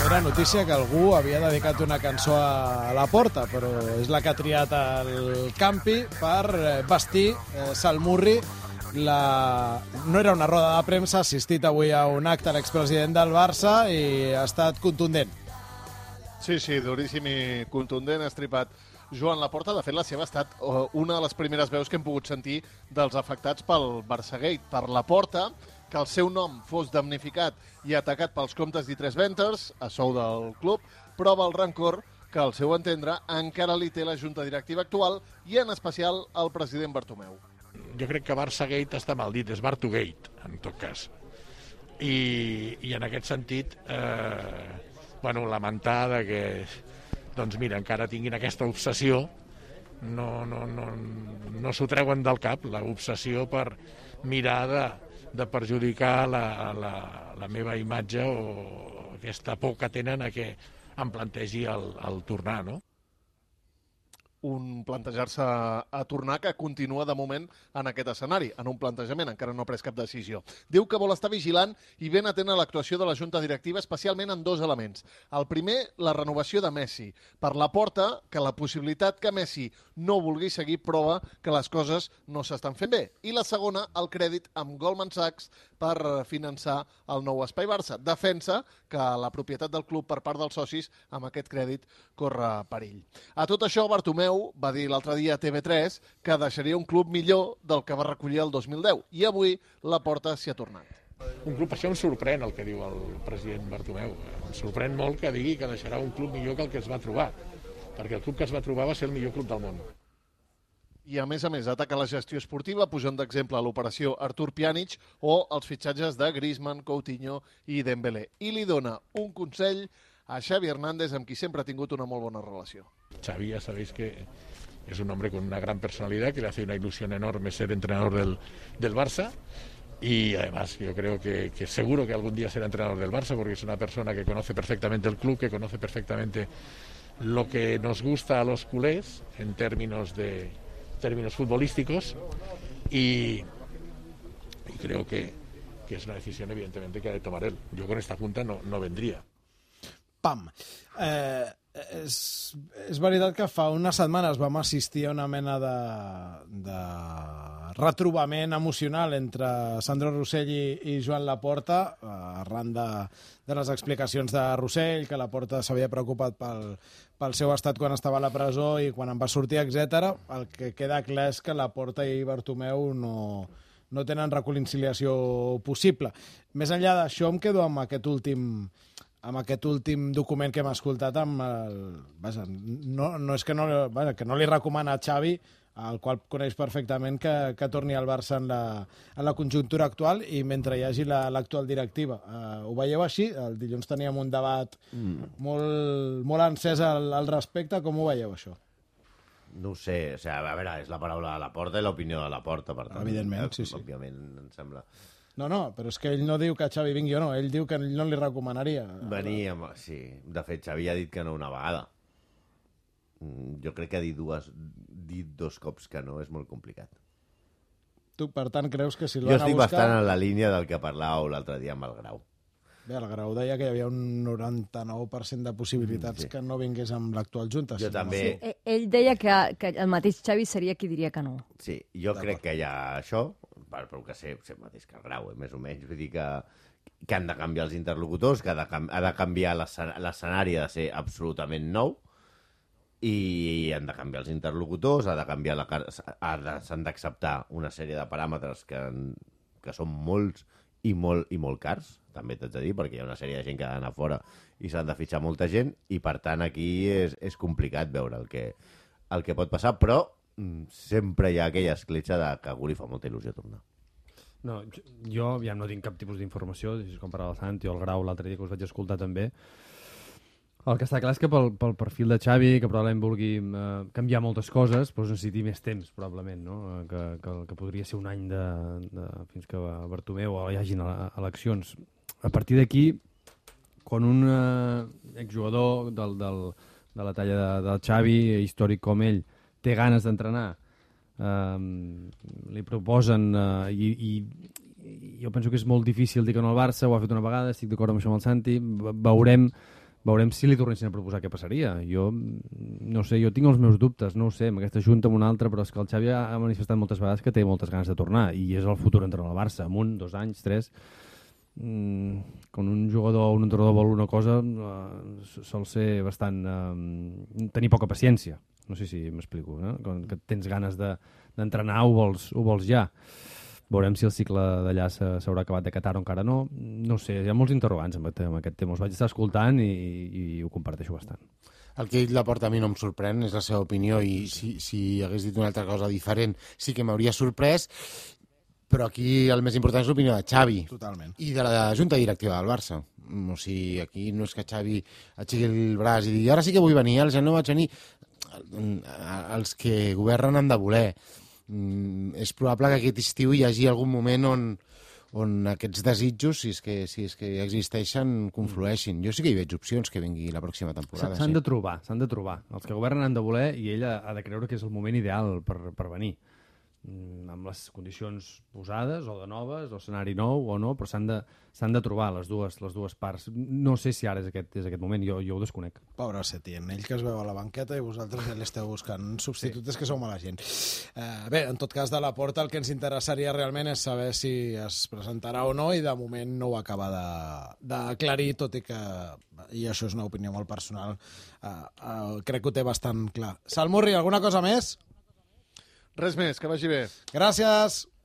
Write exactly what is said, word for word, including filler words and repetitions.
era notícia que algú havia dedicat una cançó a la Porta, però és la que ha triat el Campi per vestir eh, Salmurri. La... No era una roda de premsa, ha assistit avui a un acte l'expresident del Barça i ha estat contundent. Sí, sí, duríssim i contundent, ha estripat Joan Laporta. De fet, la seva ha estat una de les primeres veus que hem pogut sentir dels afectats pel Barçagate. Per Laporta, que el seu nom fos damnificat i atacat pels comptes d'I tres Ventures, a sou del club, prova el rancor que, al seu entendre, encara li té la junta directiva actual i, en especial, el president Bartomeu. Jo crec que Barçagate està mal dit, és Bartogate, en tot cas. I, i en aquest sentit, eh, bueno, lamentar de que, doncs mira, encara tinguin aquesta obsessió, no, no, no, no s'ho treuen del cap, l'obsessió per mirar de, de perjudicar la, la, la meva imatge o aquesta por que tenen a que em plantegi el, el tornar, no? Un plantejar-se a tornar que continua de moment en aquest escenari, en un plantejament, encara no ha pres cap decisió. Diu que vol estar vigilant i ben atent a l'actuació de la junta directiva, especialment en dos elements. El primer, la renovació de Messi. Per Laporta, que la possibilitat que Messi no vulgui seguir prova que les coses no s'estan fent bé. I la segona, el crèdit amb Goldman Sachs per finançar el nou Espai Barça. Defensa que la propietat del club per part dels socis amb aquest crèdit corre perill. A tot això, Bartomeu va dir l'altre dia a T V tres que deixaria un club millor del que va recollir el dos mil deu i avui Laporta s'hi ha tornat. Un club, això em sorprèn el que diu el president Bartomeu. Em sorprèn molt que digui que deixarà un club millor que el que es va trobar, perquè el club que es va trobar va ser el millor club del món. I a més a més ataca la gestió esportiva posant d'exemple l'operació Artur Pjanic o els fitxatges de Griezmann, Coutinho i Dembélé. I li dona un consell a Xavi Hernández, amb qui sempre ha tingut una molt bona relació. Xavi, ya sabéis que es un hombre con una gran personalidad, que le hace una ilusión enorme ser entrenador del, del Barça, y además yo creo que, que seguro que algún día será entrenador del Barça, porque es una persona que conoce perfectamente el club, que conoce perfectamente lo que nos gusta a los culés en términos de términos futbolísticos, y, y creo que, que es una decisión evidentemente que ha de tomar él. Yo con esta junta no, no vendría. Pam. Eh, és, és veritat que fa unes setmanes vam assistir a una mena de, de retrobament emocional entre Sandro Rossell i, i Joan Laporta, arran de, de les explicacions de Rossell, que Laporta s'havia preocupat pel, pel seu estat quan estava a la presó i quan en va sortir, etcètera. El que queda clar és que Laporta i Bartomeu no, no tenen reconciliació possible. Més enllà d'això, em quedo amb aquest últim... amb aquest últim document que hem escoltat, amb el... Vaja, no, no és que no, vaja, que no li recomana a Xavi, el qual coneix perfectament, que, que torni al Barça en la, en la conjuntura actual i mentre hi hagi l'actual la, directiva. Uh, ho veieu així? El dilluns teníem un debat mm. molt, molt encès al, al respecte. Com ho veieu, això? No ho sé, o sigui, a veure, és la paraula de Laporta i l'opinió de Laporta, per tant. Evidentment, sí, sí. Òbviament, em sembla... No, no, però és que ell no diu que Xavi vingui o no, ell diu que no li recomanaria. Venir, amb... sí. De fet, Xavi ha dit que no una vegada. Jo crec que dir, dues, dir dos cops que no és molt complicat. Tu, per tant, creus que si el van a buscar... Jo estic bastant en la línia del que parlàveu l'altre dia amb el Grau. Bé, el Grau deia que hi havia un noranta-nou per cent de possibilitats mm, sí. que no vingués amb l'actual Junta. Jo si també... No. Sí, ell deia que, que el mateix Xavi seria qui diria que no. Sí, jo crec que hi ha això, però que sé, sé mateix que el Grau, eh, més o menys. Vull dir que, que han de canviar els interlocutors, que ha de, ha de canviar l'escenari, ha de ser absolutament nou, i han de canviar els interlocutors, ha de canviar la, s'han d'acceptar una sèrie de paràmetres que, que són molts i molt, i molt cars, també t'haig de dir, perquè hi ha una sèrie de gent que ha d'anar fora i s'han de fitxar molta gent, i per tant aquí és, és complicat veure el que, el que pot passar, però sempre hi ha aquella escletxa de que a algú li fa molta il·lusió tornar. No, jo ja no tinc cap tipus d'informació, com per al Santi o el Grau l'altre dia que us vaig escoltar també. El que està clar és que pel, pel perfil de Xavi, que probablement vulgui eh, canviar moltes coses, doncs necessiti més temps, probablement, no? que, que, que podria ser un any de, de, fins que Bartomeu o hi hagin eleccions. A partir d'aquí, quan un eh, exjugador del, del, de la talla de, del Xavi, històric com ell, té ganes d'entrenar, eh, li proposen, eh, i, i jo penso que és molt difícil dir que no al Barça, ho ha fet una vegada, estic d'acord amb això amb el Santi, veurem Veurem si li tornessin a proposar què passaria. Jo, no sé, jo tinc els meus dubtes, no ho sé, amb aquesta junta, amb una altra, però és que el Xavi ha manifestat moltes vegades que té moltes ganes de tornar, i és el futur entrenador del Barça, amb un, dos anys, tres... Mm, quan un jugador o un entrenador vol una cosa, eh, sol ser bastant... Eh, tenir poca paciència. No sé si m'explico, eh? Quan que tens ganes d'entrenar, ho vols, ho vols ja. Veurem si el cicle d'allà s'haurà acabat de Qatar o encara no. No sé, hi ha molts interrogants amb aquest tema. Els vaig estar escoltant i, i ho comparteixo bastant. El que ell la porta a mi no em sorprèn, és la seva opinió, i si, si hagués dit una altra cosa diferent sí que m'hauria sorprès, però aquí el més important és l'opinió de Xavi. Totalment. I de la junta directiva del Barça. O sigui, aquí no és que Xavi aixequi el braç i digui ara sí que vull venir, els ja no vaig venir. Els que governen han de voler. És probable que aquest estiu hi hagi algun moment on, on aquests desitjos, si és, que, si és que existeixen, conflueixin. Jo sí que hi veig opcions que vingui la pròxima temporada. S'han sí. de trobar, s'han de trobar. Els que governen han de voler i ell ha de creure que és el moment ideal per, per venir. Amb les condicions posades o de noves, o escenari nou o no, però s'han de, s'han de trobar les dues, les dues parts. No sé si ara és aquest, és aquest moment, jo, jo ho desconec. Pobre Setién, ell que es veu a la banqueta i vosaltres ja l'esteu buscant substitutes, sí. Que sou mala gent. Eh, bé, en tot cas, de la Porta el que ens interessaria realment és saber si es presentarà o no, i de moment no ho acaba d'aclarir, tot i que, i això és una opinió molt personal, eh, eh, crec que ho té bastant clar. Salmurri, alguna cosa més? Res més, que vagi bé. Gràcies.